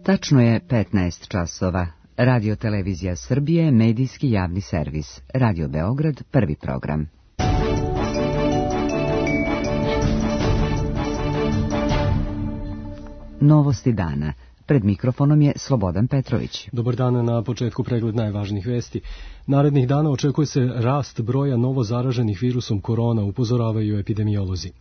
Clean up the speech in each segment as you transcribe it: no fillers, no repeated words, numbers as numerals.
Tačno je 15 časova. Radio Televizija Srbije, medijski javni servis. Radio Beograd, prvi program. Novosti dana. Pred mikrofonom je Slobodan Petrović. Dobar dan, na početku pregled najvažnijih vesti. Narednih dana očekuje se rast broja novo zaraženih virusom korona, upozoravaju epidemiolozi.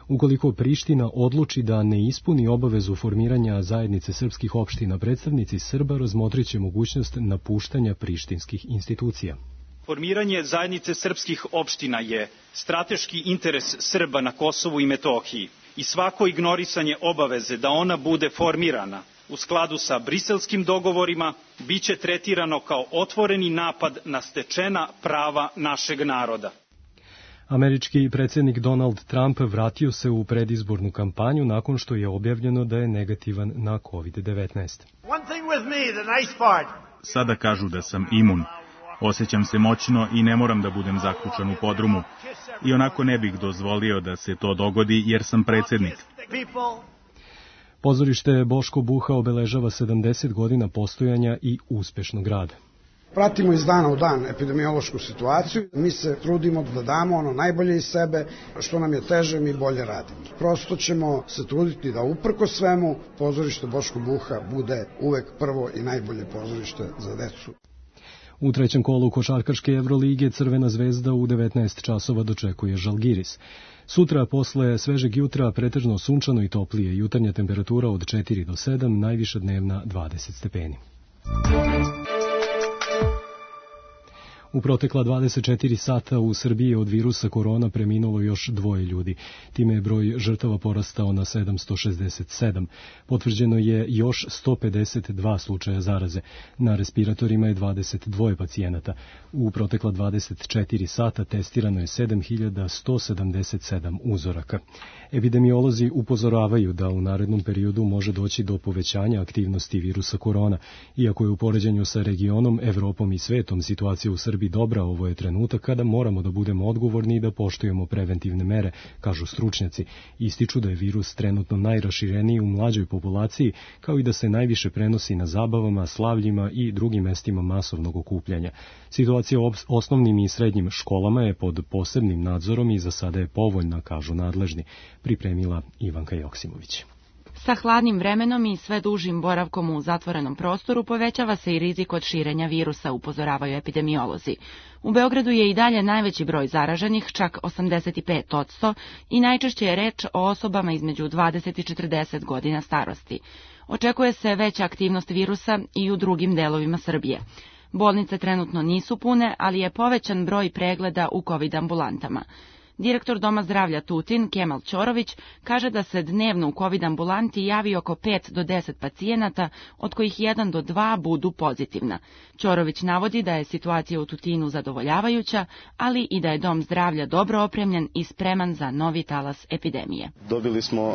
Ukoliko Priština odluči da ne ispuni obavezu formiranja zajednice srpskih opština, predstavnici Srba razmotriće mogućnost napuštanja prištinskih institucija. Formiranje zajednice srpskih opština je strateški interes Srba na Kosovu i Metohiji i svako ignorisanje obaveze da ona bude formirana u skladu sa briselskim dogovorima biće tretirano kao otvoreni napad na stečena prava našeg naroda. Američki predsjednik Donald Trump vratio se u predizbornu kampanju nakon što je objavljeno da je negativan na COVID-19. Sada kažu da sam imun. Osjećam se moćno i ne moram da budem zaključan u podrumu. I onako ne bih dozvolio da se to dogodi jer sam predsjednik. Pozorište Boško Buha obeležava 70 godina postojanja i uspešnog rada. Pratimo iz dana u dan epidemiološku situaciju. Mi se trudimo da damo ono najbolje iz sebe, što nam je teže mi bolje radimo. Prosto ćemo se truditi da uprko svemu pozorište Boško Buha bude uvek prvo i najbolje pozorište za decu. U trećem kolu košarkaške Evrolige Crvena zvezda u 19 časova dočekuje Žalgiris. Sutra posle svežeg jutra pretežno sunčano i toplije, jutarnja temperatura od 4 do 7, najviša dnevna 20 stepeni. U protekla 24 sata u Srbiji od virusa korona preminulo još 2 ljudi. Time je broj žrtava porastao na 767. Potvrđeno je još 152 slučaja zaraze. Na respiratorima je 22 pacijenata. U protekla 24 sata testirano je 7177 uzoraka. Epidemiolozi upozoravaju da u narednom periodu može doći do povećanja aktivnosti virusa korona. Iako je u poređenju sa regionom, Evropom i svetom situacija u Srbiji dobra, ovo je trenutak kada moramo da budemo odgovorni i da poštujemo preventivne mere, kažu stručnjaci. Ističu da je virus trenutno najrašireniji u mlađoj populaciji, kao i da se najviše prenosi na zabavama, slavljima i drugim mestima masovnog okupljanja. Situacija u osnovnim i srednjim školama je pod posebnim nadzorom i za sada je povoljna, kažu nadležni, pripremila Ivanka Joksimović. Sa hladnim vremenom i sve dužim boravkom u zatvorenom prostoru povećava se i rizik od širenja virusa, upozoravaju epidemiolozi. U Beogradu je i dalje najveći broj zaraženih, čak 85%, i najčešće je reč o osobama između 20 i 40 godina starosti. Očekuje se veća aktivnost virusa i u drugim delovima Srbije. Bolnice trenutno nisu pune, ali je povećan broj pregleda u COVID ambulantama. Direktor Doma zdravlja Tutin, Kemal Ćorović, kaže da se dnevno u COVID ambulanti javi oko 5 do 10 pacijenata, od kojih 1 do 2 budu pozitivna. Ćorović navodi da je situacija u Tutinu zadovoljavajuća, ali i da je Dom zdravlja dobro opremljen i spreman za novi talas epidemije. Dobili smo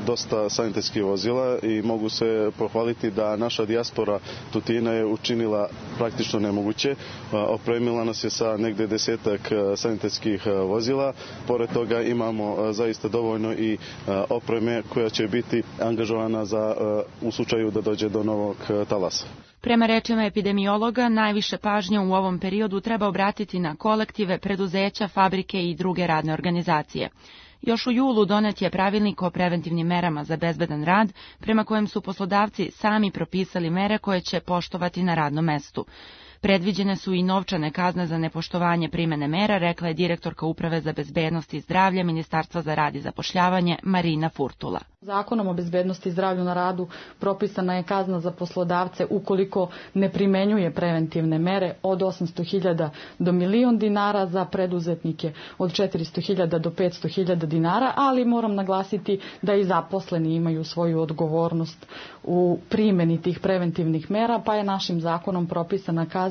dosta sanitetskih vozila i mogu se pohvaliti da naša dijaspora Tutina je učinila praktično nemoguće. Opremila nas je sa negde 10 sanitetskih vozila. Pored toga imamo zaista dovoljno i opreme koja će biti angažovana u slučaju da dođe do novog talasa. Prema rečima epidemiologa, najviše pažnje u ovom periodu treba obratiti na kolektive, preduzeća, fabrike i druge radne organizacije. Još u julu donet je pravilnik o preventivnim merama za bezbedan rad, prema kojem su poslodavci sami propisali mere koje će poštovati na radnom mestu. Predviđene su i novčane kazne za nepoštovanje primene mera, rekla je direktorka Uprave za bezbednost i zdravlje Ministarstva za rad i zapošljavanje Marina Furtula. Zakonom o bezbednosti i zdravlju na radu propisana je kazna za poslodavce ukoliko ne primenjuje preventivne mere od 800.000 do 1.000.000 dinara, za preduzetnike od 400.000 do 500.000 dinara, ali moram naglasiti da i zaposleni imaju svoju odgovornost u primjeni tih preventivnih mera, pa je našim zakonom propisana kazna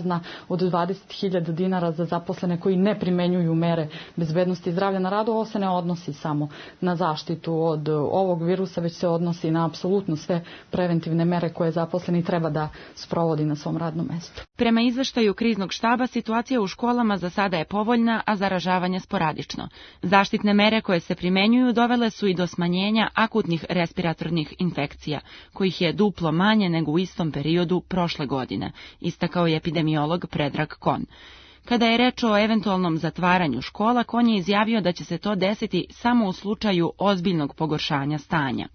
od 20.000 dinara za zaposlene koji ne primenjuju mere bezbednosti i zdravlja na radu. Ovo se ne odnosi samo na zaštitu od ovog virusa, već se odnosi na apsolutno sve preventivne mere koje zaposleni treba da sprovodi na svom radnom mestu. Prema izveštaju kriznog štaba, situacija u školama za sada je povoljna, a zaražavanje sporadično. Zaštitne mere koje se primenjuju dovele su i do smanjenja akutnih respiratornih infekcija, kojih je duplo manje nego u istom periodu prošle godine, istakao je epidemiolog Predrag Kon. Kada je reč o eventualnom zatvaranju škola, Kon je izjavio da će se to desiti samo u slučaju ozbiljnog pogoršanja stanja.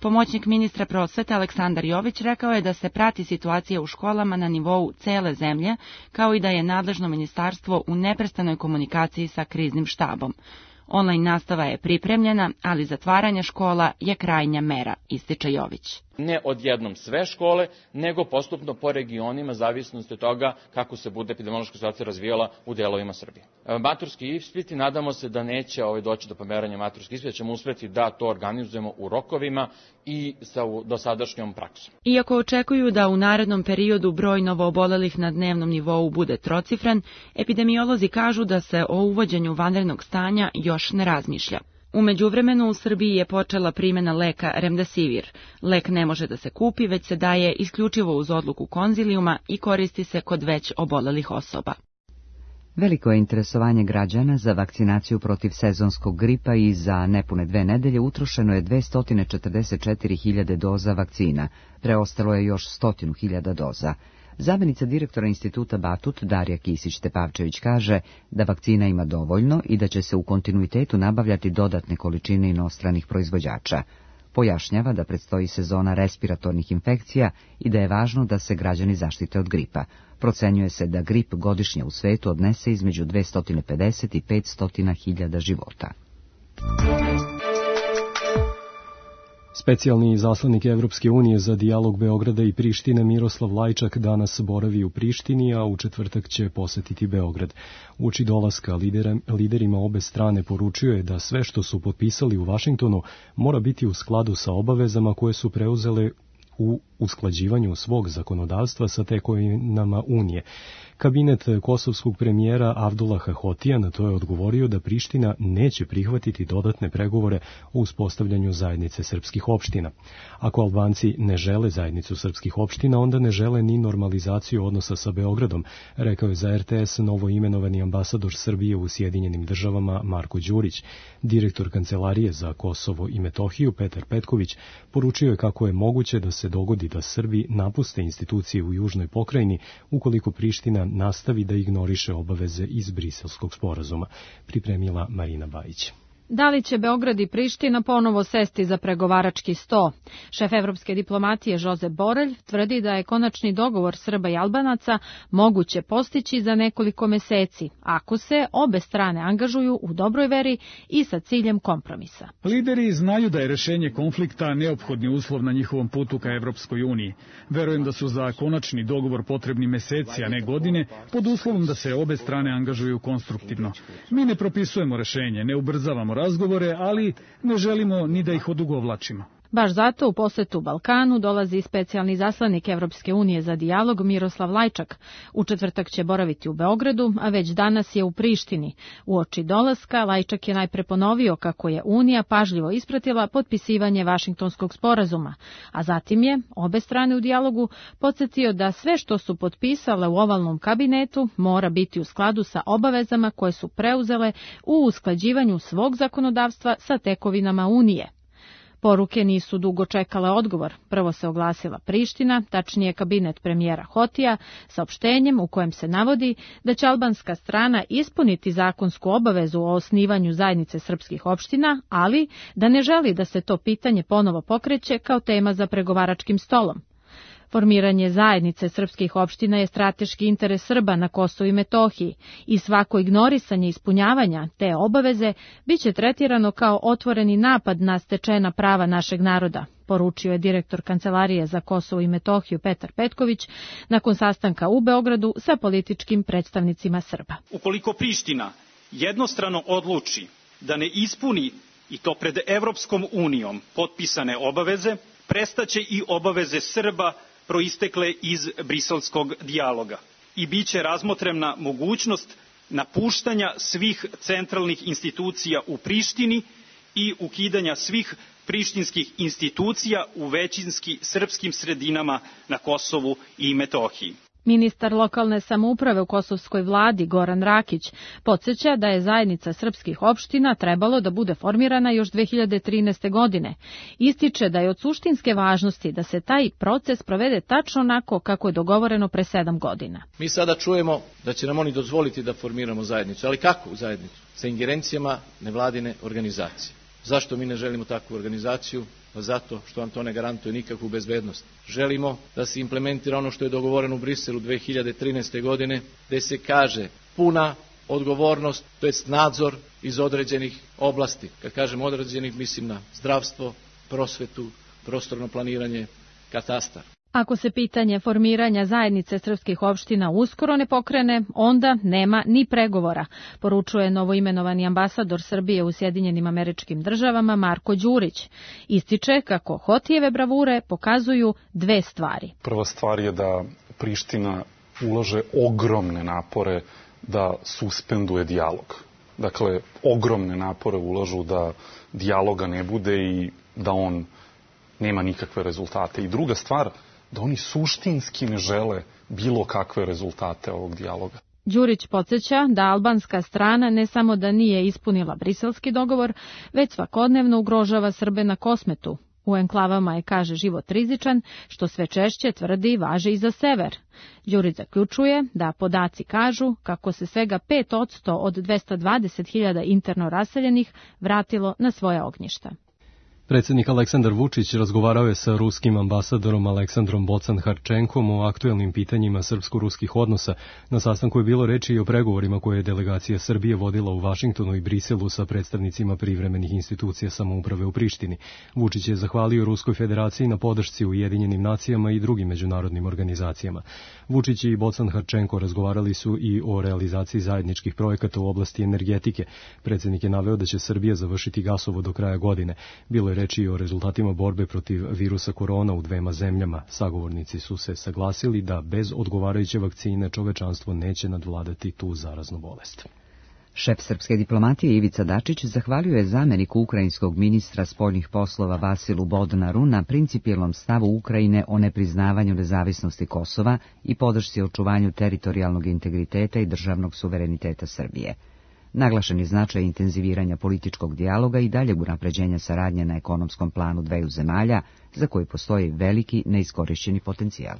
Pomoćnik ministra prosvete Aleksandar Jović rekao je da se prati situacija u školama na nivou cele zemlje, kao i da je nadležno ministarstvo u neprestanoj komunikaciji sa kriznim štabom. Online nastava je pripremljena, ali zatvaranje škola je krajnja mera, ističe Jović. Ne odjednom sve škole, nego postupno po regionima, zavisnosti od toga kako se bude epidemiološka situacija razvijala u delovima Srbije. Maturski ispiti, nadamo se da neće doći do pomeranja maturskih ispita, ćemo uspeti da to organizujemo u rokovima i sa dosadašnjom praksom. Iako očekuju da u narednom periodu broj novoobolelih na dnevnom nivou bude trocifren, epidemiolozi kažu da se o uvođenju vanrednog stanja još ne razmišlja. U međuvremenu u Srbiji je počela primjena leka Remdesivir. Lek ne može da se kupi, već se daje isključivo uz odluku konzilijuma i koristi se kod već obolelih osoba. Veliko je interesovanje građana za vakcinaciju protiv sezonskog gripa i za nepune 2 nedelje utrošeno je 244.000 doza vakcina, preostalo je još 100.000 doza. Zamenica direktora instituta Batut Darija Kisić-Tepavčević kaže da vakcina ima dovoljno i da će se u kontinuitetu nabavljati dodatne količine inostranih proizvođača. Pojašnjava da predstoji sezona respiratornih infekcija i da je važno da se građani zaštite od gripa. Procenjuje se da grip godišnje u svetu odnese između 250 i 500.000 života. Specijalni izaslanik Evropske unije za dijalog Beograda i Prištine Miroslav Lajčak danas boravi u Prištini, a u četvrtak će posetiti Beograd. Uoči dolaska liderima obe strane poručio je da sve što su potpisali u Vašingtonu mora biti u skladu sa obavezama koje su preuzele u usklađivanju svog zakonodavstva sa tekovinama Unije. Kabinet kosovskog premijera Avdullaha Hotija na to je odgovorio da Priština neće prihvatiti dodatne pregovore o uspostavljanju zajednice srpskih opština. Ako Albanci ne žele zajednicu srpskih opština, onda ne žele ni normalizaciju odnosa sa Beogradom, rekao je za RTS novoimenovani ambasador Srbije u Sjedinjenim državama Marko Đurić. Direktor Kancelarije za Kosovo i Metohiju Petar Petković poručio je kako je moguće da se dogodi da Srbi napuste institucije u južnoj pokrajini ukoliko Priština nastavi da ignoriše obaveze iz Briselskog sporazuma, pripremila Marina Bajić. Da li će Beograd i Priština ponovo sesti za pregovarački sto? Šef evropske diplomatije Josep Borelj tvrdi da je konačni dogovor Srba i Albanaca moguće postići za nekoliko meseci, ako se obe strane angažuju u dobroj veri i sa ciljem kompromisa. Lideri znaju da je rešenje konflikta neophodni uslov na njihovom putu ka Evropskoj uniji. Verujem da su za konačni dogovor potrebni meseci, a ne godine, pod uslovom da se obe strane angažuju konstruktivno. Mi ne propisujemo rešenje, ne ubrzavamo razgovore, ali ne želimo ni da ih odugovlačimo. Baš zato u posetu Balkanu dolazi specijalni izaslanik Evropske unije za dijalog Miroslav Lajčak. U četvrtak će boraviti u Beogradu, a već danas je u Prištini. Uoči dolaska Lajčak je najpre ponovio kako je Unija pažljivo ispratila potpisivanje Vašingtonskog sporazuma, a zatim je obe strane u dijalogu podsjetio da sve što su potpisale u ovalnom kabinetu mora biti u skladu sa obavezama koje su preuzele u usklađivanju svog zakonodavstva sa tekovinama Unije. Poruke nisu dugo čekale odgovor. Prvo se oglasila Priština, tačnije kabinet premijera Hotija, saopštenjem u kojem se navodi da će albanska strana ispuniti zakonsku obavezu o osnivanju zajednice srpskih opština, ali da ne želi da se to pitanje ponovo pokreće kao tema za pregovaračkim stolom. Formiranje zajednice srpskih opština je strateški interes Srba na Kosovu i Metohiji i svako ignorisanje ispunjavanja te obaveze biće tretirano kao otvoreni napad na stečena prava našeg naroda, poručio je direktor Kancelarije za Kosovo i Metohiju Petar Petković nakon sastanka u Beogradu sa političkim predstavnicima Srba. Ukoliko Priština jednostrano odluči da ne ispuni i to pred Evropskom unijom potpisane obaveze, prestaće i obaveze Srba proistekle iz briselskog dijaloga i biće razmotrena mogućnost napuštanja svih centralnih institucija u Prištini i ukidanja svih prištinskih institucija u većinski srpskim sredinama na Kosovu i Metohiji. Ministar lokalne samouprave u kosovskoj vladi Goran Rakić podsjeća da je zajednica srpskih opština trebalo da bude formirana još 2013. godine. Ističe da je od suštinske važnosti da se taj proces provede tačno onako kako je dogovoreno pre 7 godina. Mi sada čujemo da će nam oni dozvoliti da formiramo zajednicu, ali kakvu zajednicu? Sa ingerencijama nevladine organizacije. Zašto mi ne želimo takvu organizaciju? Pa zato što vam to ne garantuje nikakvu bezbednost. Želimo da se implementira ono što je dogovoreno u Briselu 2013. godine, gde se kaže puna odgovornost, to jest nadzor iz određenih oblasti. Kad kažem određenih, mislim na zdravstvo, prosvetu, prostorno planiranje, katastar. Ako se pitanje formiranja zajednice srpskih opština uskoro ne pokrene, onda nema ni pregovora, poručuje novoimenovani ambasador Srbije u Sjedinjenim Američkim Državama Marko Đurić. Ističe kako Hotijeve bravure pokazuju 2 stvari. Prva stvar je da Priština ulaže ogromne napore da suspenduje dijalog. Dakle, ogromne napore ulažu da dijaloga ne bude i da on nema nikakve rezultate. I druga stvar, da oni suštinski ne žele bilo kakve rezultate ovog dijaloga. Đurić podsjeća da albanska strana ne samo da nije ispunila briselski dogovor, već svakodnevno ugrožava Srbe na Kosmetu. U enklavama je, kaže, život rizičan, što sve češće tvrdi važi i za sever. Đurić zaključuje da podaci kažu kako se svega 5% od 220.000 interno raseljenih vratilo na svoja ognjišta. Predsjednik Aleksandar Vučić razgovarao je sa ruskim ambasadorom Aleksandrom Bocan-Harčenkom o aktuelnim pitanjima srpsko-ruskih odnosa. Na sastanku je bilo reči i o pregovorima koje je delegacija Srbije vodila u Vašingtonu i Briselu sa predstavnicima privremenih institucija samouprave u Prištini. Vučić je zahvalio Ruskoj federaciji na podršci Ujedinjenim nacijama i drugim međunarodnim organizacijama. Vučić i Bocan-Harčenko razgovarali su i o realizaciji zajedničkih projekata u oblasti energetike. Predsjednik je naveo da će Srbija završiti gasovod do kraja godine. Bilo je reči o rezultatima borbe protiv virusa korona u 2 zemljama. Sagovornici su se saglasili da bez odgovarajuće vakcine čovečanstvo neće nadvladati tu zaraznu bolest. Šef srpske diplomatije Ivica Dačić zahvalio je zameniku ukrajinskog ministra spoljnih poslova Vasilu Bodnaru na principijelnom stavu Ukrajine o nepriznavanju nezavisnosti Kosova i podršci očuvanju teritorijalnog integriteta i državnog suvereniteta Srbije. Naglašen je značaj intenziviranja političkog dijaloga i daljeg unapređenja saradnje na ekonomskom planu 2 zemalja, za koji postoji veliki neiskorišćeni potencijal.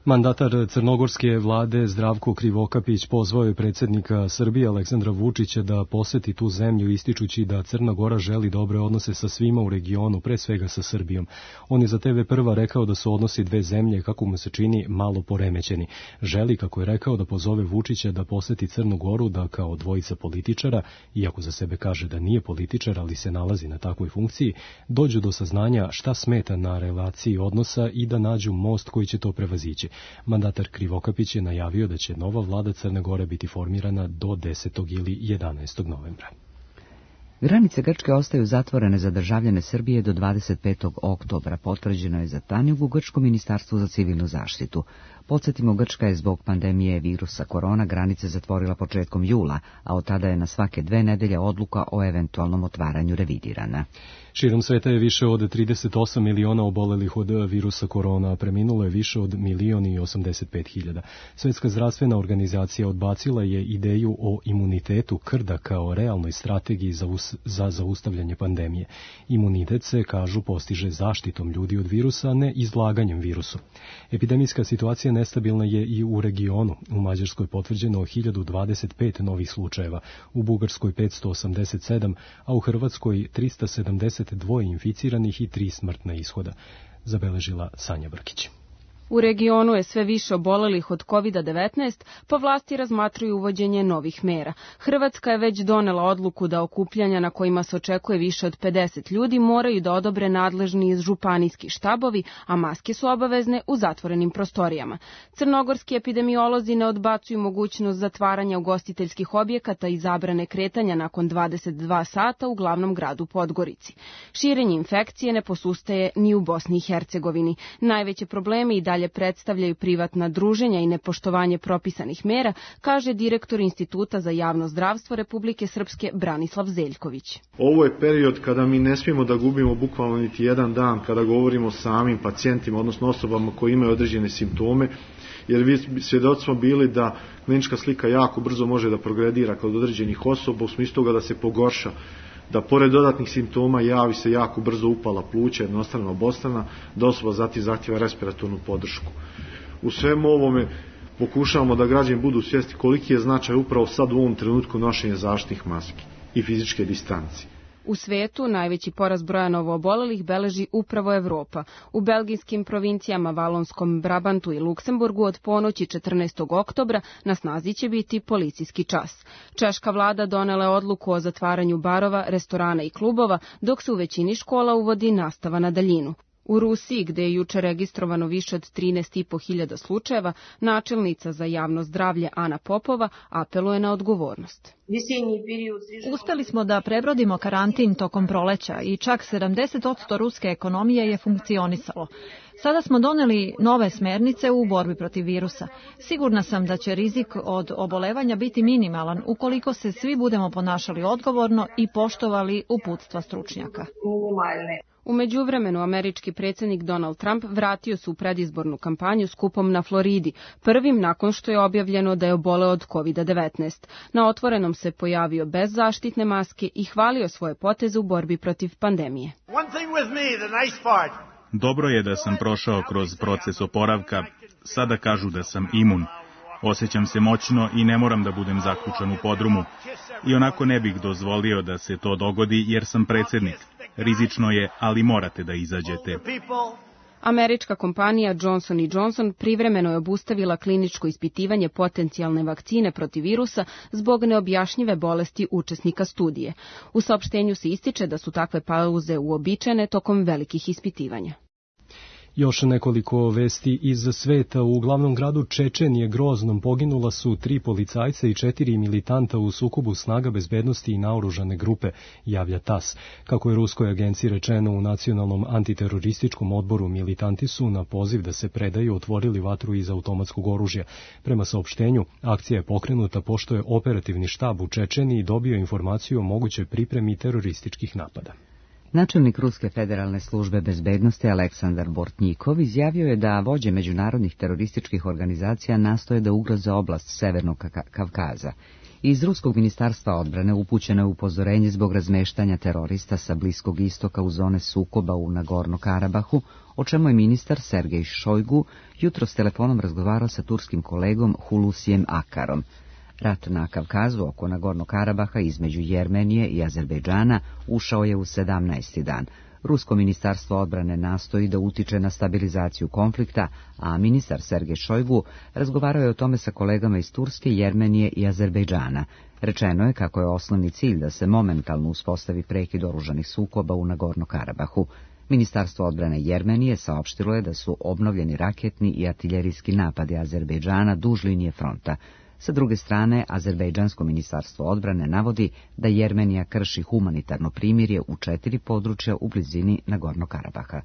Mandatar crnogorske vlade Zdravko Krivokapić pozvao je predsjednika Srbije Aleksandra Vučića da poseti tu zemlju, ističući da Crna Gora želi dobre odnose sa svima u regionu, pre svega sa Srbijom. On je za TV Prva rekao da su odnosi 2 zemlje, kako mu se čini, malo poremećeni. Želi, kako je rekao, da pozove Vučića da poseti Crnu Goru, da kao dvojica političara, iako za sebe kaže da nije političar, ali se nalazi na takvoj funkciji, dođu do saznanja šta smeta na relaciji odnosa i da nađu most koji će to prevazići. Mandatar Krivokapić je najavio da će nova vlada Crne Gore biti formirana do 10. ili 11. novembra. Granice Grčke ostaju zatvorene za državljane Srbije do 25. oktobra, potvrđeno je za Tanjug u Grčkom ministarstvu za civilnu zaštitu. Podsjetimo, Grčka je zbog pandemije virusa korona granice zatvorila početkom jula, a od tada je na svake 2 nedelje odluka o eventualnom otvaranju revidirana. Širom sveta je više od 38 miliona obolelih od virusa korona, preminulo je više od 1.085.000. Svjetska zdravstvena organizacija odbacila je ideju o imunitetu krda kao realnoj strategiji za zaustavljanje pandemije. Imunitet se, kažu, postiže zaštitom ljudi od virusa, a ne izlaganjem virusu. Epidemijska situacija nestabilna je i u regionu. U Mađarskoj potvrđeno 1025 novih slučajeva, u Bugarskoj 587, a u Hrvatskoj 372 inficiranih i 3 smrtna ishoda, zabeležila Sanja Brkić. U regionu je sve više obolelih od COVID-19, pa vlasti razmatruju uvođenje novih mera. Hrvatska je već donela odluku da okupljanja na kojima se očekuje više od 50 ljudi moraju da odobre nadležni županijski štabovi, a maske su obavezne u zatvorenim prostorijama. Crnogorski epidemiolozi ne odbacuju mogućnost zatvaranja ugostiteljskih objekata i zabrane kretanja nakon 22 sata u glavnom gradu Podgorici. Širenje infekcije ne posustaje ni u Bosni i Hercegovini. Najveće probleme i dalje predstavljaju privatna druženja i nepoštovanje propisanih mera, kaže direktor Instituta za javno zdravstvo Republike Srpske Branislav Zeljković. Ovo je period kada mi ne smijemo da gubimo bukvalno niti jedan dan kada govorimo o samim pacijentima, odnosno osobama koji imaju određene simptome, jer vi svjedoci smo bili da klinička slika jako brzo može da progredira kod određenih osoba u smislu toga da se pogorša, da pored dodatnih simptoma javi se jako brzo upala pluća, jednostrana obostrana, da osoba zatim zahtjeva respiratornu podršku. U svemu ovome pokušavamo da građani budu svjesni koliki je značaj upravo sad u ovom trenutku nošenja zaštitnih maski i fizičke distance. U svetu najveći porast broja novoobolelih beleži upravo Evropa. U belgijskim provincijama Valonskom, Brabantu i Luksemburgu od ponoći 14. oktobra na snazi će biti policijski čas. Češka vlada donela je odluku o zatvaranju barova, restorana i klubova, dok se u većini škola uvodi nastava na daljinu. U Rusiji, gde je juče registrovano više od 13.500 slučajeva, načelnica za javno zdravlje Ana Popova apeluje na odgovornost. Uspeli smo da prebrodimo karantin tokom proleća i čak 70% ruske ekonomije je funkcionisalo. Sada smo doneli nove smernice u borbi protiv virusa. Sigurna sam da će rizik od obolevanja biti minimalan ukoliko se svi budemo ponašali odgovorno i poštovali uputstva stručnjaka. U međuvremenu američki predsjednik Donald Trump vratio se u predizbornu kampanju skupom na Floridi, prvim nakon što je objavljeno da je oboleo od COVID-19. Na otvorenom se pojavio bez zaštitne maske i hvalio svoje poteze u borbi protiv pandemije. Dobro je da sam prošao kroz proces oporavka. Sada kažu da sam imun. Osjećam se moćno i ne moram da budem zaključan u podrumu. I onako ne bih dozvolio da se to dogodi jer sam predsjednik. Rizično je, ali morate da izađete. Američka kompanija Johnson & Johnson privremeno je obustavila kliničko ispitivanje potencijalne vakcine protiv virusa zbog neobjašnjive bolesti učesnika studije. U saopštenju se ističe da su takve pauze uobičajene tokom velikih ispitivanja. Još nekoliko vesti iz sveta. U glavnom gradu Čečenije Groznom poginula su 3 policajca i 4 militanta u sukobu snaga bezbednosti i naoružane grupe, javlja TAS. Kako je ruskoj agenciji rečeno u Nacionalnom antiterorističkom odboru, militanti su na poziv da se predaju otvorili vatru iz automatskog oružja. Prema saopštenju, akcija je pokrenuta pošto je operativni štab u Čečeniji dobio informaciju o mogućoj pripremi terorističkih napada. Načelnik Ruske federalne službe bezbednosti Aleksandar Bortnjikov izjavio je da vođe međunarodnih terorističkih organizacija nastoje da ugroze oblast Severnog Kavkaza. Iz Ruskog ministarstva odbrane upućeno je upozorenje zbog razmeštanja terorista sa Bliskog istoka u zone sukoba u Nagorno-Karabahu, o čemu je ministar Sergej Šojgu jutros telefonom razgovarao sa turskim kolegom Hulusijem Akarom. Rat na Kavkazu oko Nagorno-Karabaha između Jermenije i Azerbejdžana ušao je u 17. dan. Rusko ministarstvo odbrane nastoji da utiče na stabilizaciju konflikta, a ministar Sergej Šojgu razgovarao je o tome sa kolegama iz Turske, Jermenije i Azerbejdžana. Rečeno je kako je osnovni cilj da se momentalno uspostavi prekid oružanih sukoba u Nagorno-Karabahu. Ministarstvo odbrane Jermenije saopštilo je da su obnovljeni raketni i artiljerijski napadi Azerbejdžana duž linije fronta. Sa druge strane, Azerbejdžansko ministarstvo odbrane navodi da Jermenija krši humanitarno primirje u 4 područja u blizini Nagorno-Karabaha.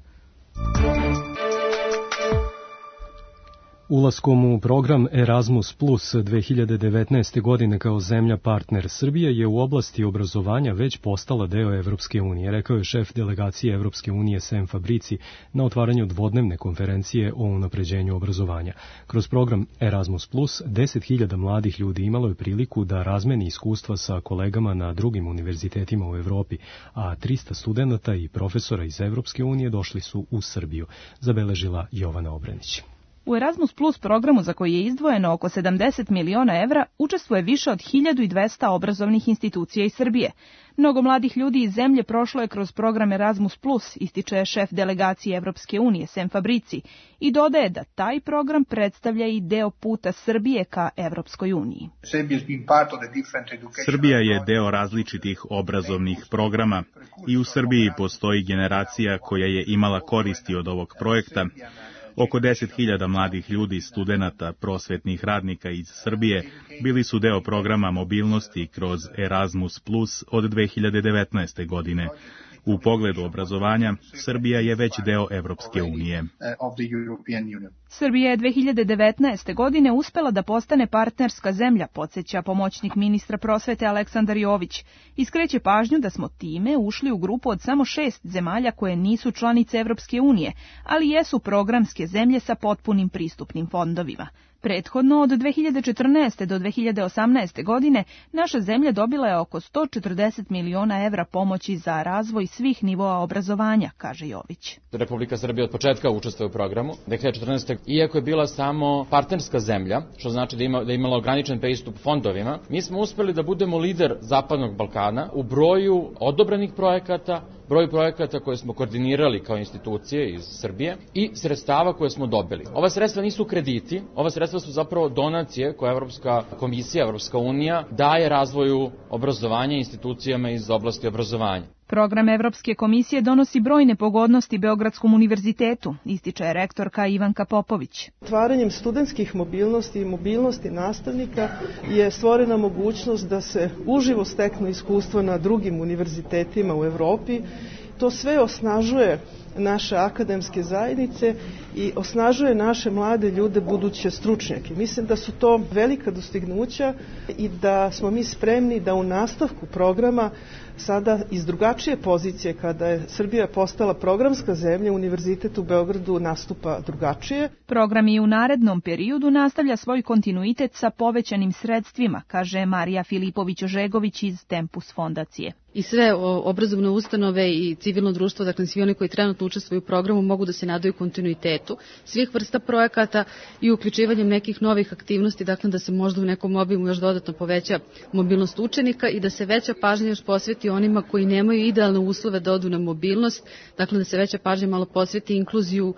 Ulaskom u program Erasmus Plus 2019. godine kao zemlja partner, Srbija je u oblasti obrazovanja već postala deo Evropske unije, rekao je šef delegacije Evropske unije Sem Fabrici na otvaranju dvodnevne konferencije o unapređenju obrazovanja. Kroz program Erasmus Plus 10.000 mladih ljudi imalo je priliku da razmeni iskustva sa kolegama na drugim univerzitetima u Evropi, a 300 studenata i profesora iz Evropske unije došli su u Srbiju, zabeležila Jovana Obrenić. U Erasmus Plus programu, za koji je izdvojeno oko 70 miliona evra, učestvuje više od 1200 obrazovnih institucija iz Srbije. Mnogo mladih ljudi iz zemlje prošlo je kroz program Erasmus Plus, ističe šef delegacije Evropske unije Sem Fabrici, i dodaje da taj program predstavlja i deo puta Srbije ka Evropskoj uniji. Srbija je deo različitih obrazovnih programa i u Srbiji postoji generacija koja je imala koristi od ovog projekta. Oko 10.000 mladih ljudi, studenata, prosvetnih radnika iz Srbije bili su deo programa mobilnosti kroz Erasmus Plus od 2019. godine. U pogledu obrazovanja, Srbija je već deo Evropske unije. Srbija je 2019. godine uspela da postane partnerska zemlja, podsjeća pomoćnik ministra prosvete Aleksandar Jović. Iskreće pažnju da smo time ušli u grupu od samo 6 zemalja koje nisu članice Evropske unije, ali jesu programske zemlje sa potpunim pristupnim fondovima. Prethodno, od 2014. do 2018. godine, naša zemlja dobila je oko 140 miliona evra pomoći za razvoj svih nivoa obrazovanja, kaže Jović. Republika Srbija od početka učestvuje u programu. 2014. iako je bila samo partnerska zemlja, što znači da je imala ograničen pristup fondovima, mi smo uspeli da budemo lider Zapadnog Balkana u broju odobrenih projekata, broju projekata koje smo koordinirali kao institucije iz Srbije i sredstava koje smo dobili. Ova sredstva nisu krediti, ova sredstva su zapravo donacije koje Evropska komisija, Evropska unija daje razvoju obrazovanja institucijama iz oblasti obrazovanja. Program Evropske komisije donosi brojne pogodnosti Beogradskom univerzitetu, ističe rektorka Ivanka Popović. Otvaranjem studentskih mobilnosti i mobilnosti nastavnika je stvorena mogućnost da se uživo steknu iskustva na drugim univerzitetima u Evropi. To sve osnažuje naše akademske zajednice i osnažuje naše mlade ljude, buduće stručnjake. Mislim da su to velika dostignuća i da smo mi spremni da u nastavku programa sada iz drugačije pozicije, kada je Srbija postala programska zemlja, Univerzitet u Beogradu nastupa drugačije. Program i u narednom periodu nastavlja svoj kontinuitet sa povećanim sredstvima, kaže Marija Filipović-Ožegović iz Tempus fondacije. I sve obrazovne ustanove i civilno društvo, dakle svi oni koji trenutno učestvuju u programu, mogu da se nadaju kontinuitetu svih vrsta projekata i uključivanjem nekih novih aktivnosti, dakle da se možda u nekom obimu još dodatno poveća mobilnost učenika i da se veća pažnja još posveti onima koji nemaju idealne uslove da odu na mobilnost, dakle da se veća pažnja malo posveti inkluziju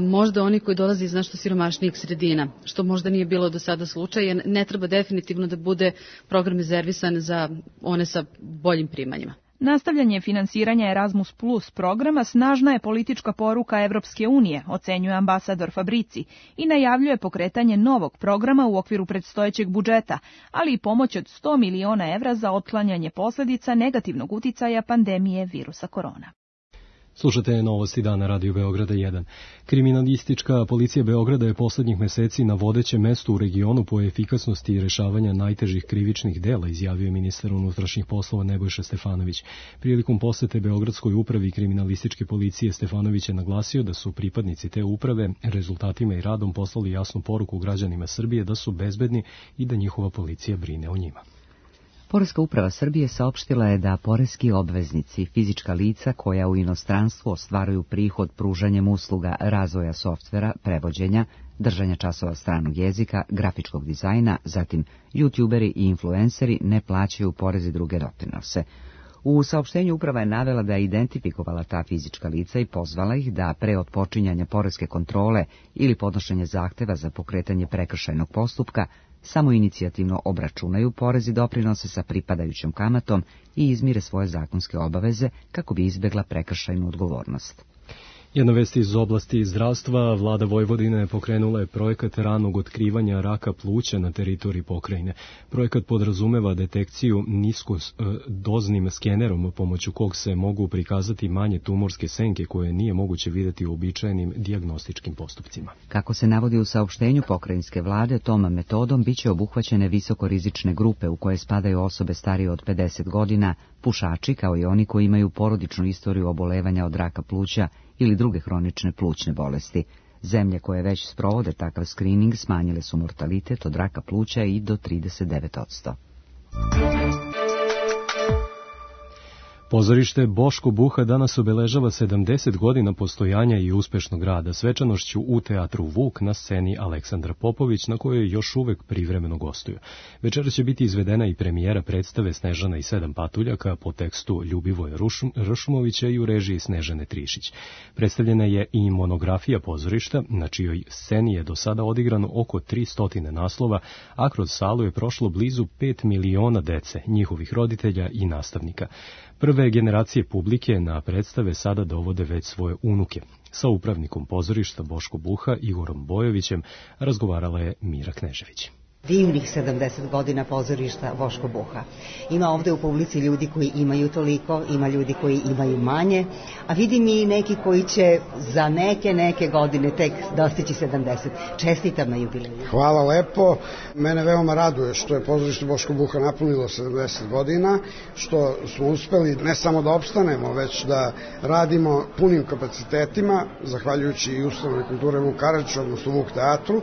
možda oni koji dolaze iz nešto siromašnijih sredina, što možda nije bilo do sada slučaj, jer ne treba definitivno da bude program rezervisan za one sa boljim primanjima. Nastavljanje finansiranja Erasmus Plus programa snažna je politička poruka Evropske unije, ocenjuje ambasador Fabrici, i najavljuje pokretanje novog programa u okviru predstojećeg budžeta, ali i pomoć od 100 miliona evra za otklanjanje posljedica negativnog uticaja pandemije virusa korona. Slušate novosti dana Radio Beograda 1. Kriminalistička policija Beograda je poslednjih meseci na vodećem mestu u regionu po efikasnosti rešavanja najtežih krivičnih dela, izjavio ministar unutrašnjih poslova Nebojša Stefanović. Prilikom posete Beogradskoj upravi kriminalističke policije Stefanović je naglasio da su pripadnici te uprave rezultatima i radom poslali jasnu poruku građanima Srbije da su bezbedni i da njihova policija brine o njima. Poreska uprava Srbije saopštila je da poreski obveznici, fizička lica koja u inostranstvu ostvaruju prihod pružanjem usluga razvoja softvera, prevođenja, držanja časova stranog jezika, grafičkog dizajna, zatim youtuberi i influenceri ne plaćaju porez i druge doprinose. U saopštenju uprava je navela da je identifikovala ta fizička lica i pozvala ih da pre otpočinjanja poreske kontrole ili podnošenja zahteva za pokretanje prekršajnog postupka samo inicijativno obračunaju porez i doprinose sa pripadajućom kamatom i izmire svoje zakonske obaveze kako bi izbjegla prekršajnu odgovornost. Jedna vest iz oblasti zdravstva. Vlada Vojvodine pokrenula je projekat ranog otkrivanja raka pluća na teritoriji pokrajine. Projekat podrazumeva detekciju niskodoznim skenerom pomoću kog se mogu prikazati manje tumorske senke koje nije moguće vidjeti u običajnim dijagnostičkim postupcima. Kako se navodi u saopštenju pokrajinske vlade, tom metodom biće obuhvaćene visokorizične grupe u koje spadaju osobe starije od 50 godina, pušači kao i oni koji imaju porodičnu istoriju obolevanja od raka pluća ili druge hronične plućne bolesti. Zemlje koje već sprovode takav skrining smanjile su mortalitet od raka pluća i do 39%. Pozorište Boško Buha danas obeležava 70 godina postojanja i uspešnog rada svečanošću u teatru Vuk na sceni Aleksandra Popović, na kojoj još uvek privremeno gostuju. Večera će biti izvedena i premijera predstave Snežana i 7 patuljaka po tekstu Ljubivoja Ršumovića i u režiji Snežane Trišić. Predstavljena je i monografija pozorišta, na čijoj sceni je do sada odigrano oko 300 naslova, a kroz salu je prošlo blizu 5 miliona dece, njihovih roditelja i nastavnika. Prve generacije publike na predstave sada dovode već svoje unuke. Sa upravnikom pozorišta Boško Buha, Igorom Bojovićem, razgovarala je Mira Knežević. Divnih 70 godina pozorišta Boško Buha. Ima ovde u publici ljudi koji imaju toliko, ima ljudi koji imaju manje, a vidim i neki koji će za neke godine tek dostići 70. Čestitam na jubileju. Hvala lepo. Mene veoma raduje što je pozorište Boško Buha napunilo 70 godina, što smo uspeli ne samo da opstanemo, već da radimo punim kapacitetima, zahvaljujući i ustanovi kulture Vuk Karadžić, odnosno Vuk teatru.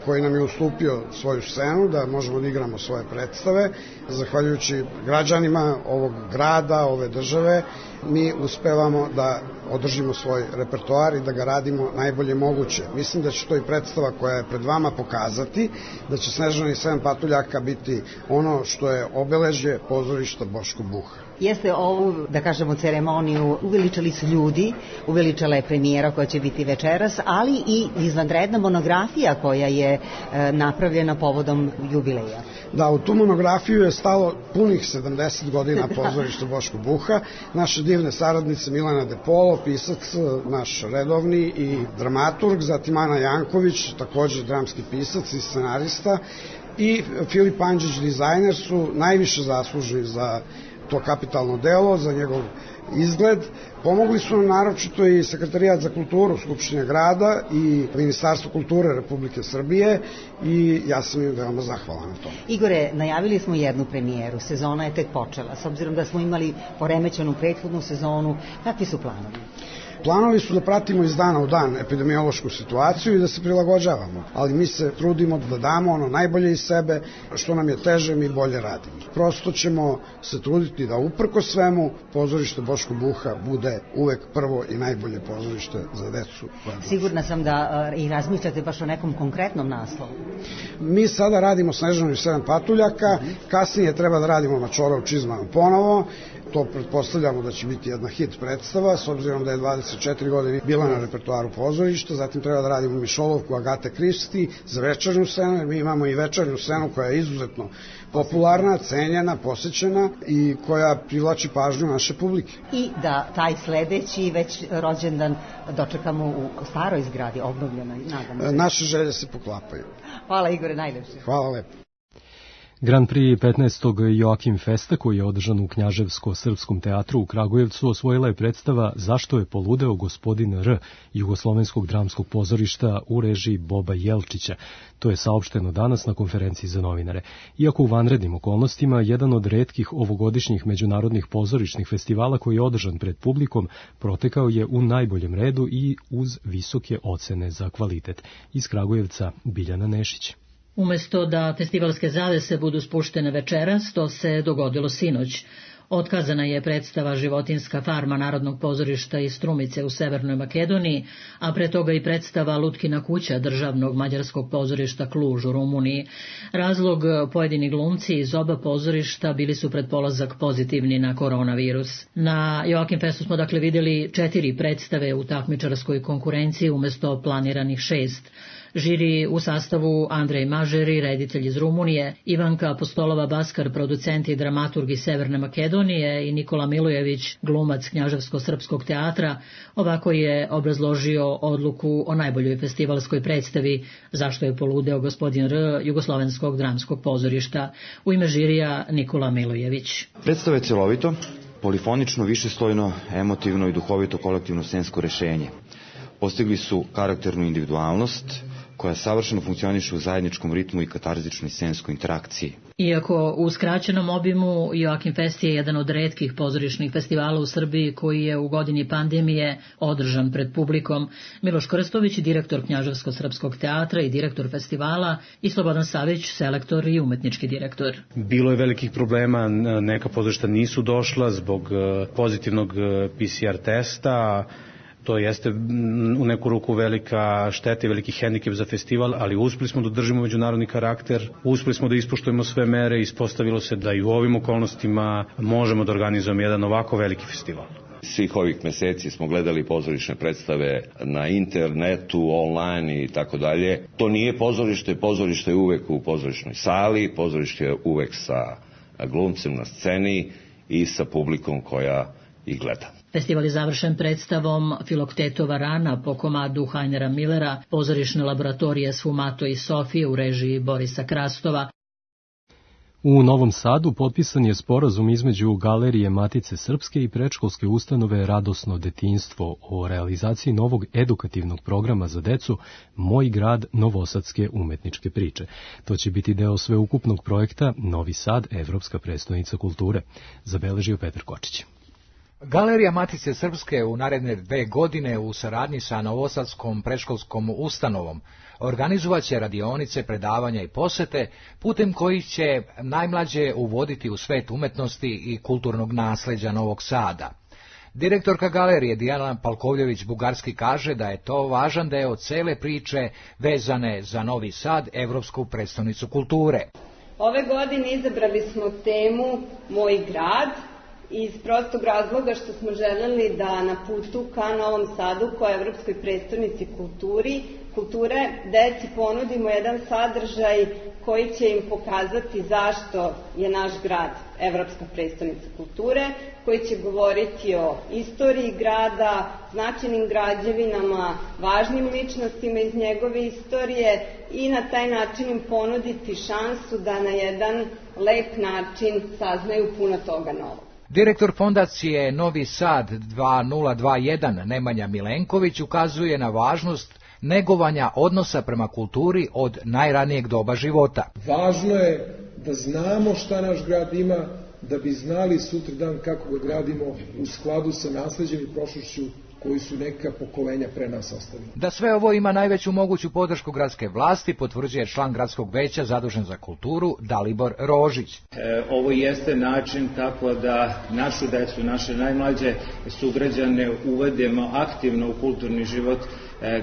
koji nam je ustupio svoju scenu da možemo da igramo svoje predstave. Zahvaljujući građanima ovog grada, ove države, mi uspevamo da održimo svoj repertoar i da ga radimo najbolje moguće. Mislim da će to i predstava koja je pred vama pokazati, da će Snežana i 7 patuljaka biti ono što je obeležje pozorišta Boško Buha. Jeste ovu, da kažemo, ceremoniju uveličali su ljudi, uveličala je premijera koja će biti večeras, ali i izvanredna monografija koja je napravljena povodom jubileja. Da, u tu monografiju je stalo punih 70 godina pozorišta Boško Buha. Naše divne saradnice Milana De Polo, pisac naš redovni i dramaturg, zatim Ana Janković, također dramski pisac i scenarista, i Filip Andžić, dizajner, su najviše zaslužni za to kapitalno delo, za njegov izgled. Pomogli su nam naročito i Sekretarijat za kulturu Skupštine grada i Ministarstvo kulture Republike Srbije i ja sam im veoma zahvalan na tome. Igore, najavili smo jednu premijeru, sezona je tek počela. S obzirom da smo imali poremećenu prethodnu sezonu, kakvi su planovi? Planovi su da pratimo iz dana u dan epidemiološku situaciju i da se prilagođavamo, ali mi se trudimo da damo ono najbolje iz sebe, što nam je teže mi bolje radimo. Prosto ćemo se truditi da uprko svemu pozorište Boško Buha bude uvek prvo i najbolje pozorište za decu. Sigurna sam da i razmišljate baš o nekom konkretnom naslovu. Mi sada radimo Snežanu i 7 patuljaka, kasnije treba da radimo Mačora u čizmama ponovo. To pretpostavljamo da će biti jedna hit predstava, s obzirom da je 24 godine bila na repertoaru pozorišta, zatim treba da radimo Mišolovku Agate Kristi za večernju scenu, jer mi imamo i večernju scenu koja je izuzetno popularna, cenjena, posećena i koja privlači pažnju naše publike. I da taj sledeći već rođendan dočekamo u staroj zgradi, obnovljenoj, nadam se. Naše želje se poklapaju. Hvala Igore, najlepše. Hvala lepo. Grand Prix 15. Joakim Festa, koji je održan u Knjaževsko-srpskom teatru u Kragujevcu, osvojila je predstava Zašto je poludeo gospodin R. Jugoslovenskog dramskog pozorišta u režiji Boba Jelčića. To je saopšteno danas na konferenciji za novinare. Iako u vanrednim okolnostima, jedan od retkih ovogodišnjih međunarodnih pozorišnih festivala koji je održan pred publikom protekao je u najboljem redu i uz visoke ocene za kvalitet. Iz Kragujevca Biljana Nešić. Umesto da festivalske zavese budu spuštene večeras, to se dogodilo sinoć. Otkazana je predstava Životinjska farma Narodnog pozorišta iz Strumice u Severnoj Makedoniji, a pre toga i predstava Lutkina kuća Državnog mađarskog pozorišta Kluž u Rumuniji. Razlog, pojedini glumci iz oba pozorišta bili su pred polazak pozitivni na koronavirus. Na Joakim Festu smo dakle vidjeli 4 predstave u takmičarskoj konkurenciji umesto planiranih 6. Žiri u sastavu Andrej Mažeri, reditelj iz Rumunije, Ivanka Apostolova-Baskar, producent i dramaturg iz Severne Makedonije i Nikola Milojević, glumac Knjaževsko-srpskog teatra, ovako je obrazložio odluku o najboljoj festivalskoj predstavi Zašto je poludeo gospodin R. Jugoslovenskog dramskog pozorišta. U ime žirija Nikola Milojević. Predstava je celovito, polifonično, višeslojno, emotivno i duhovito kolektivno scensko rešenje. Postigli su karakternu individualnost koja savršeno funkcioniše u zajedničkom ritmu i katarzičnoj scenskoj interakciji. Iako u skraćenom obimu, Joakim Fest je jedan od retkih pozorišnih festivala u Srbiji koji je u godini pandemije održan pred publikom. Miloš Krstović, direktor Knjaževsko-srpskog teatra i direktor festivala, i Slobodan Savić, selektor i umetnički direktor. Bilo je velikih problema, neka pozorišta nisu došla zbog pozitivnog PCR testa. To jeste u neku ruku velika šteta i veliki hendikep za festival, ali uspeli smo da držimo međunarodni karakter, uspeli smo da ispoštujemo sve mere i ispostavilo se da i u ovim okolnostima možemo da organizujemo jedan ovako veliki festival. Svih ovih meseci smo gledali pozorišne predstave na internetu, online i tako dalje. To nije pozorište, pozorište je uvek u pozorišnoj sali, pozorište je uvek sa glumcem na sceni i sa publikom koja ih gleda. Festival je završen predstavom Filoktetova rana po komadu Hajnera Millera, pozorišne laboratorije Sfumato i Sofije u režiji Borisa Krastova. U Novom Sadu potpisan je sporazum između Galerije Matice Srpske i predškolske ustanove Radosno detinjstvo o realizaciji novog edukativnog programa za decu Moj grad novosadske umetničke priče. To će biti deo sveukupnog projekta Novi Sad, Evropska prestonica kulture, zabeležio Petar Kočić. Galerija Matice Srpske u naredne 2 godine u saradnji sa Novosadskom predškolskom ustanovom organizovaće radionice, predavanja i posete putem kojih će najmlađe uvoditi u svet umetnosti i kulturnog nasleđa Novog Sada. Direktorka galerije Dijana Palkovljević-Bugarski kaže da je to važan deo cele priče vezane za Novi Sad, evropsku prestonicu kulture. Ove godine izabrali smo temu Moj grad, iz prostog razloga što smo želeli da na putu ka Novom Sadu, kao evropskoj prestonici kulture, deci ponudimo jedan sadržaj koji će im pokazati zašto je naš grad evropska prestonica kulture, koji će govoriti o istoriji grada, značajnim građevinama, važnim ličnostima iz njegove istorije i na taj način im ponuditi šansu da na jedan lep način saznaju puno toga novog. Direktor fondacije Novi Sad 2021 Nemanja Milenković ukazuje na važnost negovanja odnosa prema kulturi od najranijeg doba života. Važno je da znamo šta naš grad ima, da bi znali sutradan kako ga gradimo u skladu sa nasleđem i prošlošću koji su neka pokolenja pre nas ostavili. Da sve ovo ima najveću moguću podršku gradske vlasti, potvrđuje član gradskog veća zadužen za kulturu Dalibor Rožić. Ovo jeste način kako da našu decu, naše najmlađe sugrađane uvedemo aktivno u kulturni život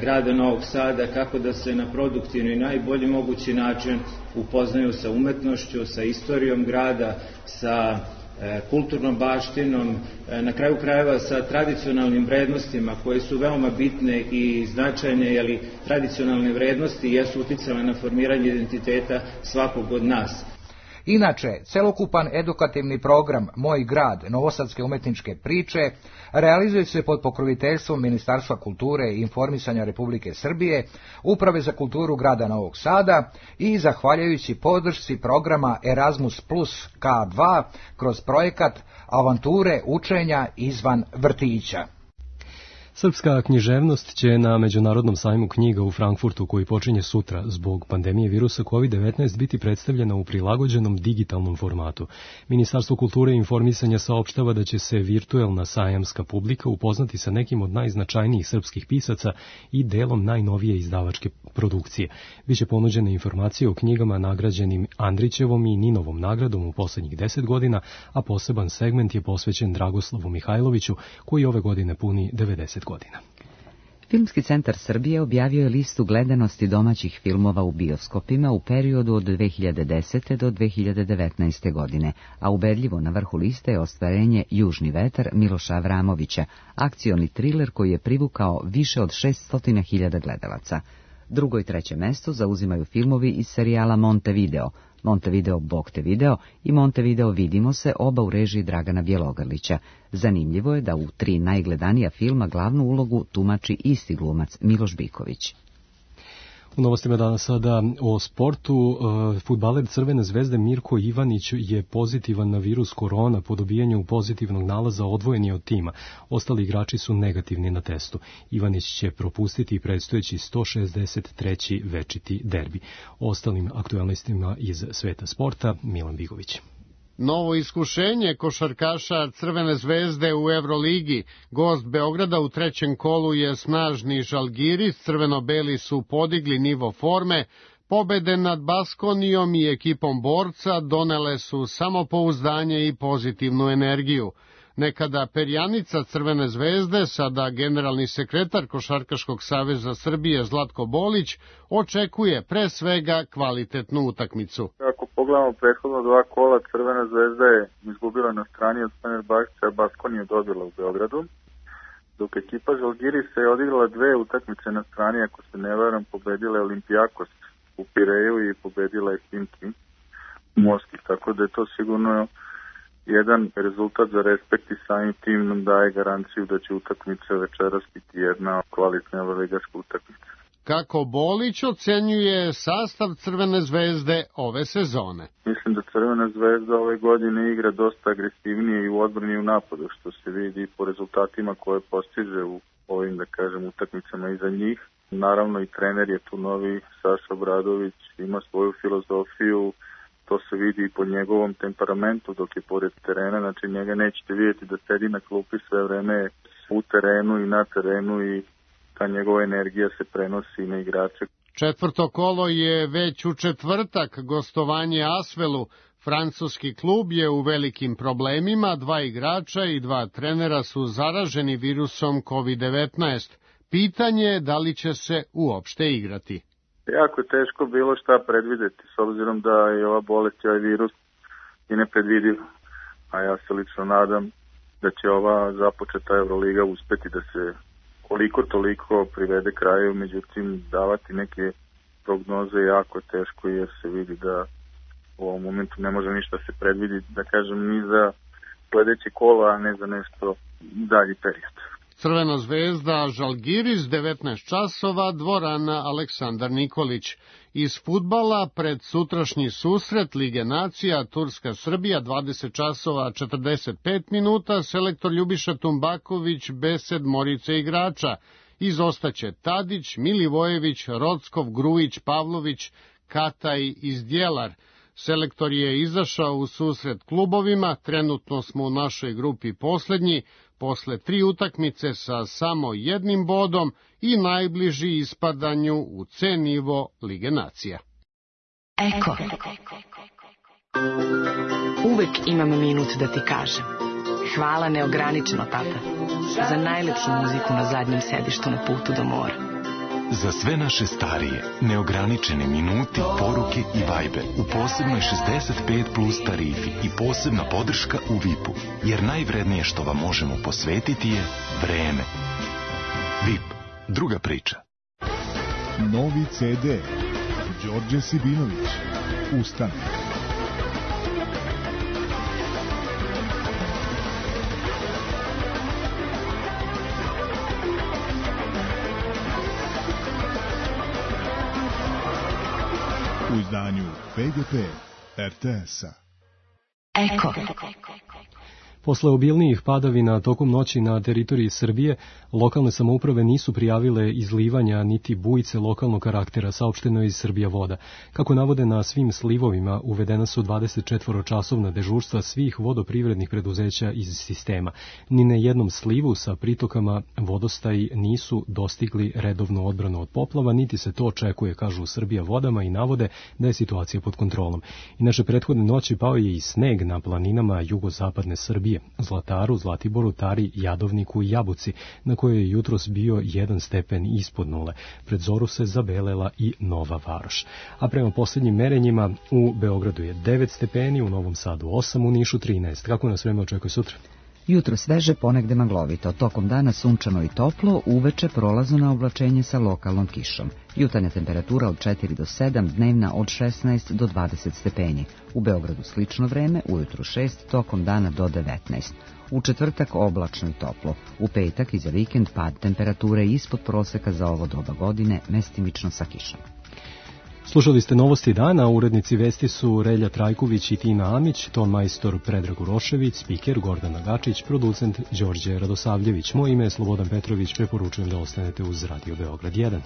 grada Novog Sada, kako da se na produktivni i najbolji mogući način upoznaju sa umetnošću, sa istorijom grada, sa kulturnom baštinom, na kraju krajeva sa tradicionalnim vrednostima koje su veoma bitne i značajne, jer tradicionalne vrednosti jesu uticale na formiranje identiteta svakog od nas. Inače, celokupan edukativni program Moj grad, novosadske umetničke priče, realizuje se pod pokroviteljstvom Ministarstva kulture i informisanja Republike Srbije, Uprave za kulturu grada Novog Sada i zahvaljujući podršci programa Erasmus Plus K2 kroz projekat Avanture učenja izvan vrtića. Srpska književnost će na Međunarodnom sajmu knjiga u Frankfurtu, koji počinje sutra zbog pandemije virusa COVID-19, biti predstavljena u prilagođenom digitalnom formatu. Ministarstvo kulture i informisanja saopštava da će se virtuelna sajamska publika upoznati sa nekim od najznačajnijih srpskih pisaca i delom najnovije izdavačke produkcije. Biće ponuđene informacije o knjigama nagrađenim Andrićevom i Ninovom nagradom u poslednjih 10 godina, a poseban segment je posvećen Dragoslavu Mihajloviću, koji ove godine puni 90 godina. Filmski centar Srbije objavio je listu gledanosti domaćih filmova u bioskopima u periodu od 2010. do 2019. godine, a ubedljivo na vrhu liste je ostvarenje Južni vetar Miloša Avramovića, akcioni triler koji je privukao više od 600.000 gledalaca. Drugo i treće mesto zauzimaju filmovi iz serijala Montevideo, Montevideo Bog te video i Montevideo Vidimo se, oba u režiji Dragana Bjelogrlića. Zanimljivo je da u 3 najgledanija filma glavnu ulogu tumači isti glumac Miloš Biković. U novostima danas sada o sportu. Fudbaler Crvene zvezde Mirko Ivanić je pozitivan na virus korona. Po dobijanju pozitivnog nalaza odvojen je od tima. Ostali igrači su negativni na testu. Ivanić će propustiti predstojeći 163. večiti derbi. O ostalim aktualnostima iz sveta sporta Milan Bigović. Novo iskušenje košarkaša Crvene zvezde u Evroligi. Gost Beograda u trećem kolu je snažni Žalgiris. Crveno-beli su podigli nivo forme. Pobede nad Baskonijom i ekipom borca donele su samopouzdanje i pozitivnu energiju. Nekada perjanica Crvene zvezde, sada generalni sekretar Košarkaškog saveza Srbije Zlatko Bolić, očekuje pre svega kvalitetnu utakmicu. Ako pogledamo prethodno 2 kola, Crvena zvezda je izgubila na strani od Fenerbahča, a Baskoniju dobila u Beogradu, dok ekipa Žalgirisa je odigrala 2 utakmice na strani, ako se ne varam, pobedila je Olimpijakos u Pireju i pobedila je Himki u Moskvi, tako da je to sigurno jedan rezultat za respekt i samim tim nam daje garanciju da će utakmica večeras biti jedna kvalitna ligaška utakmica. Kako Bolić ocenjuje sastav Crvene zvezde ove sezone? Mislim da Crvena zvezda ove godine igra dosta agresivnije i u odbrani i u napadu, što se vidi po rezultatima koje postiže u ovim, da kažem, utakmicama iza njih. Naravno i trener je tu novi, Saša Obradović, ima svoju filozofiju, to se vidi i po njegovom temperamentu dok je pored terena, znači njega nećete vidjeti da sedi na klupi sve vreme u terenu i na terenu i ta njegova energija se prenosi na igrače. Četvrto kolo je već u četvrtak, gostovanje Asvelu. Francuski klub je u velikim problemima, 2 igrača i 2 trenera su zaraženi virusom COVID-19. Pitanje je da li će se uopšte igrati. Jako je teško bilo šta predvideti, s obzirom da je ova bolest i ovaj virus i nepredvidiv. A ja se lično nadam da će ova započeta Euroliga uspeti da se koliko toliko privede kraju, međutim davati neke prognoze jako je teško jer se vidi da u ovom momentu ne može ništa se predviditi, da kažem, ni za sledeće kola, a ne za nešto dalji period. Crvena zvezda Žalgiris, 19 časova, dvorana Aleksandar Nikolić. Iz fudbala pred sutrašnji susret Lige nacija Turska-Srbija, 20 časova 45 minuta, selektor Ljubiša Tumbaković bez sedmorice igrača. Izostaće Tadić, Milivojević, Rockov, Grujić, Pavlović, Kataj i Zdjelar. Selektor je izašao u susret klubovima, trenutno smo u našoj grupi poslednji, posle 3 utakmice sa samo 1 bodom i najbliži ispadanju u C nivo Lige nacija. Eko. Uvek imam minut da ti kažem. Hvala neograničeno, tata, za najlepšu muziku na zadnjem sedištu na putu do mora. Za sve naše starije, neograničene minuti, poruke i Viber u posebnoj 65 plus tarifi i posebna podrška u VIP-u, jer najvrednije što vam možemo posvetiti je vreme. VIP, druga priča. Novi CD. Đorđe Sibinović. Ustane. U izdanju PGP RTS-a. Eko. Posle obilnijih padavina tokom noći na teritoriji Srbije, lokalne samouprave nisu prijavile izlivanja niti bujice lokalnog karaktera, saopšteno iz Srbija voda. Kako navode, na svim slivovima uvedena su 24-časovna dežurstva svih vodoprivrednih preduzeća iz sistema. Ni na jednom slivu sa pritokama vodostaji nisu dostigli redovnu odbranu od poplava, niti se to očekuje, kažu Srbija vodama i navode da je situacija pod kontrolom. Inače, prethodne noći pao je i sneg na planinama jugozapadne Srbije, Zlataru, Zlatiboru, Tari, Jadovniku i Jabuci, na kojoj je jutros bio 1 stepen ispod nule. Pred zoru se zabelela i Nova Varoš. A prema posljednjim merenjima u Beogradu je 9 stepeni, u Novom Sadu 8, u Nišu 13. Kako nas vreme očekuje sutra? Jutro sveže, ponegde maglovito, tokom dana sunčano i toplo, uveče prolazno na oblačenje sa lokalnom kišom. Jutarnja temperatura od 4 do 7, dnevna od 16 do 20 stepeni. U Beogradu slično vreme, ujutru 6, tokom dana do 19. U četvrtak oblačno i toplo. U petak i za vikend pad temperature ispod proseka za ovo doba godine, mestimično sa kišom. Slušali ste novosti dana, urednici vesti su Relja Trajković i Tina Amić, ton majstor Predrag Urošević, spiker Gordana Gačić, producent Đorđe Radosavljević. Moje ime je Slobodan Petrović, preporučujem da ostanete uz Radio Beograd 1.